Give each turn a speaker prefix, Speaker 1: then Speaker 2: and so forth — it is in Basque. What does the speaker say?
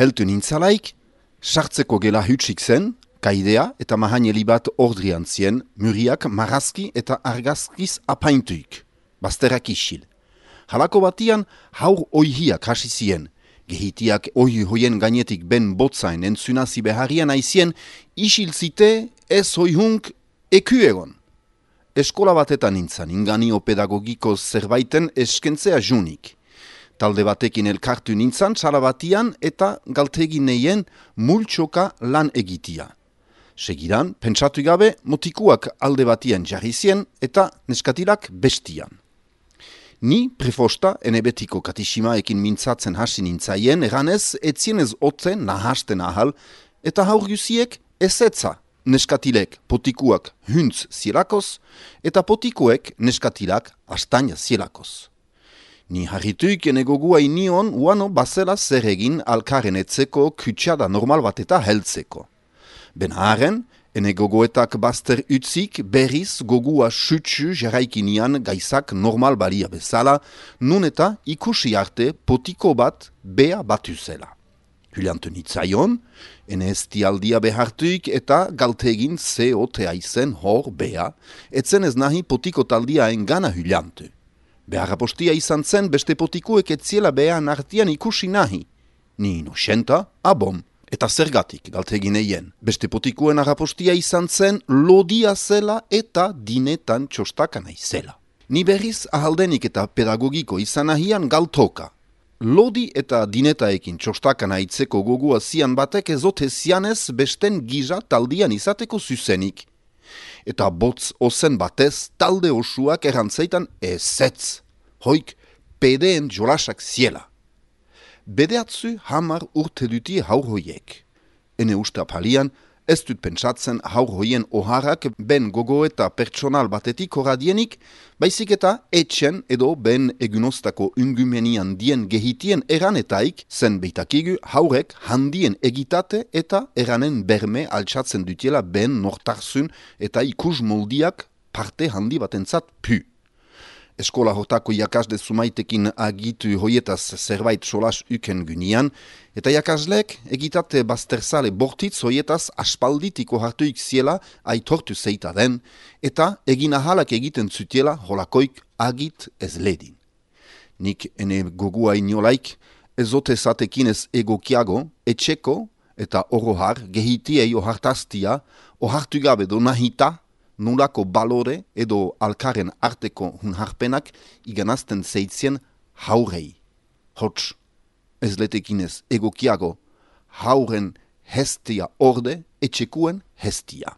Speaker 1: Heltu nintzalaik, sartzeko gela hutsik zen, kaidea eta mahaineli bat ordrian zien, muriak marrazki eta argazkiz apaintuik, bazterrak isil. Halako batian haur oihiak hasi zien, gehitiak ohi hoien gainetik ben botzain entzunazi beharian aizien, isil zite ez hoihunk eku egon. Eskola batetan nintzen, inganio pedagogiko zerbaiten eskentzea junik. Talde batekin elkartu nintzen, sala batian eta galtegin neien multxoka lan egitia. Segidan, pentsatu gabe, motikuak alde batian jarri zien eta neskatilak bestian. Ni prefosta enebetiko katisimaekin mintzatzen hasi nintzaien, eranez etzienez otzen nahasten ahal, eta haur guziek ezetza neskatilek potikuak huntz zielakoz, eta potikuek neskatilak astaina zielakoz. Ni harrituik enegogua inion uano bazela zer egin alkaren etzeko kutsiada normal bat eta heltzeko. Benharen, enegogoetak bazter utzik berriz gogua sutsu jarraikinian gaizak normal balia bezala, nun eta ikusi arte potiko bat bea batu zela. Huliantu nitzaion, ene estialdia behartuik eta galtegin zeotea izen hor bea, etzen ez nahi potiko taldia engana huliantu. Beharrapostia izan zen beste potikuek etziela behan artian ikusi nahi. Ni inosenta, abom. Eta zergatik galtegin eien. Beste potikuen harrapostia izan zen lodia zela eta dinetan txostaka naizela. Ni berriz ahaldenik eta pedagogiko izan ahian galtoka. Lodi eta dinetaekin txostaka nahitzeko gogua zian batek ezote zianez besten giza taldian izateko zuzenik. Eta botz ozen batez talde osuak errantzeitan ezetz. Hoik pedeen jolasak ziela. Bedeatzu hamar urte duti haur hoiek. Ene usta palian, ez dut pentsatzen haur hoien oharrak ben gogo eta pertsonal batetik horadienik, baizik eta etxen edo ben egunostako ungumenian dien gehitien eranetaik zen beitakigu haurek handien egitate eta eranen berme altsatzen dutiela ben nortarzun eta ikus moldiak parte handi batentzat pu. Eskola hortako jakasle zumaitekin agitu hoietaz zerbait solas uken gynian, eta jakaslek egitate bazterzale bortitz hoietaz aspalditiko hartuik ziela aitortu zeita den, eta egin ahalak egiten zutiela holakoik agit ez ledin. Nik ene gogua inolaik, ezote zatekin ez egokiago, etxeko eta orohar gehitiei ohartaztia, ohartu gabe do nahita, nulako balore edo alkaren arteko hunharpenak iganazten zeitzien haurei. Hots, ez letekinez egokiago, hauren hestia orde etxekuen hestia.